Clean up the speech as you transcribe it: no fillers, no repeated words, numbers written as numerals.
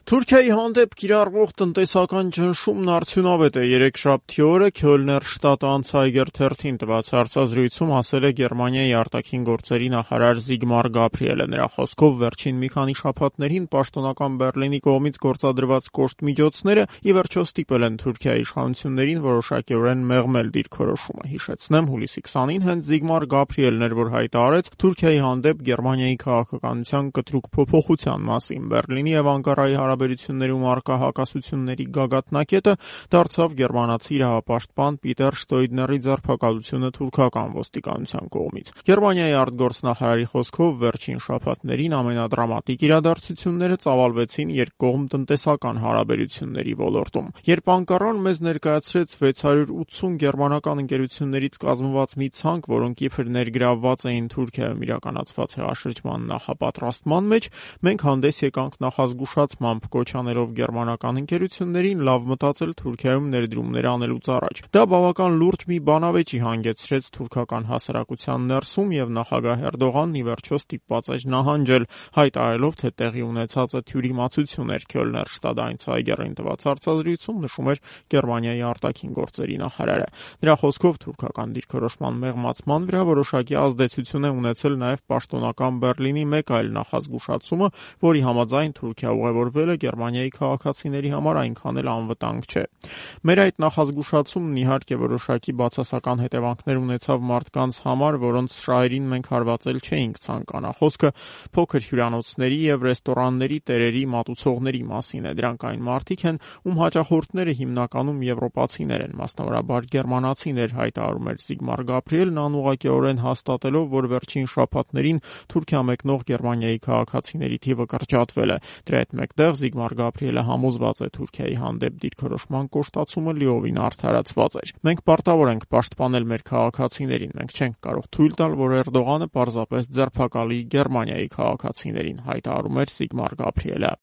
Թուրքիայի հանդեպ կիրառվող տնտեսական ճնշումն արդյունավետ է։ Երեքշաբթի օրը Քյոլներ շտատը Անցայգեր թերթին տված հարցազրույցում ասել է Գերմանիայի արտաքին գործերի նախարար Զիգմար Գաբրիելը։ Նրա խոսքով վերջին մի քանի շաբաթներին պաշտոնական Բեռլինի կողմից գործադրված կոշտ միջոցները ի վերջո ստիպել են Թուրքիայի իշխանություններին որոշակիորեն մեղմել դիրքորոշումը։ Հիշեցնեմ, հուլիսի 20-ին հենց Զիգմար Գաբրիելն էր, որ հայտարարեց Թուրքիայի հանդեպ Գերմանիայի քաղաքականության կտրուկ փոփոխության մասին։ Բեռլինի եւ Անկարայի հարաբերություններում առկա հակասությունների գագաթնակետը դարձավ գերմանացի իրավապաշտպան Պիտեր Շտոյդների ձերբակալությունը թուրքական ոստիկանության կողմից։ Գերմանիայի արտգործնախարարի խոսքով վերջին շաբաթներին ամենադրամատիկ իրադարձությունները ծավալվեցին երկկողմ տնտեսական հարաբերությունների ոլորտում։ Երբ Անկարան մեզ ներկայացրեց 680 գերմանական ընկերություններից կազմված մի ցանկ, որոնք իբր ներգրավված էին Թուրքիայում իրականացված հեղաշրջման նախապատրաստման մեջ, մենք հանդես եկանք նախազգուշացմամբ, կոչ անելով գերմանական ընկերություններին լավ մտածել Թուրքիայում ներդրումներ անելուց առաջ։ Դա բավական լուրջ մի բանավեճի հանգեցրեց թուրքական հասարակության ներսում եւ նախագահ Էրդողանն ի վերջո ստիպված էր նահանջել, հայտարարելով, թե տեղի ունեցածը թյուրիմացություն էր։ Քյոլներ շտատը Անցայգերին տված հարցազրույցում նշում էր Գերմանիայի արտաքին գործերի նախարարը։ Նրա խոսքով թուրքական դիրքորոշման մեղմացման վրա որոշակի ազդեցություն է ունեցել նաեւ պաշտոնական Բեռլինի մեկ այլ նախազգուշացումը, որի համաձայն Թուրքիա ուղևորվելը Գերմանիայի քաղաքացիների համար այնքան էլ անվտանգ չէ։ Մեր այդ նախազգուշացումն իհարկե որոշակի բացասական հետևանքներ ունեցավ մարդկանց համար, որոնց շահերին մենք հարվածել չէինք ցանկանա։ Խոսքը փոքր հյուրանոցների եւ ռեստորանների տերերի մատուցողների մասին է։ Դրանք այն մարդիկ են, ում հաճախորդները հիմնականում եվրոպացիներ են, մասնավորաբար գերմանացիներ, հայտարարում էր Զիգմար Գաբրիելն անուղղակիորեն հաստատելով, որ վերջին շաբաթներին Թուրքիա մեկնող Գերմանիայի քաղաքացիների թիվը կրճատվել է։ Դրա հետ մեկտեղ Զիգմար Գաբրիելը համոզված է Թուրքիայի հանդեպ դիրքորոշման կոշտացումը լիովին արդարացված էր։ Մենք պարտավոր ենք պաշտպանել մեր քաղաքացիներին, մենք չենք կարող թույլ տալ, որ Էրդողանը պարզապես ձերբակալի Գերմանիայի քաղաքացիներին, հայտարարում էր Զիգմար Գաբրիելը։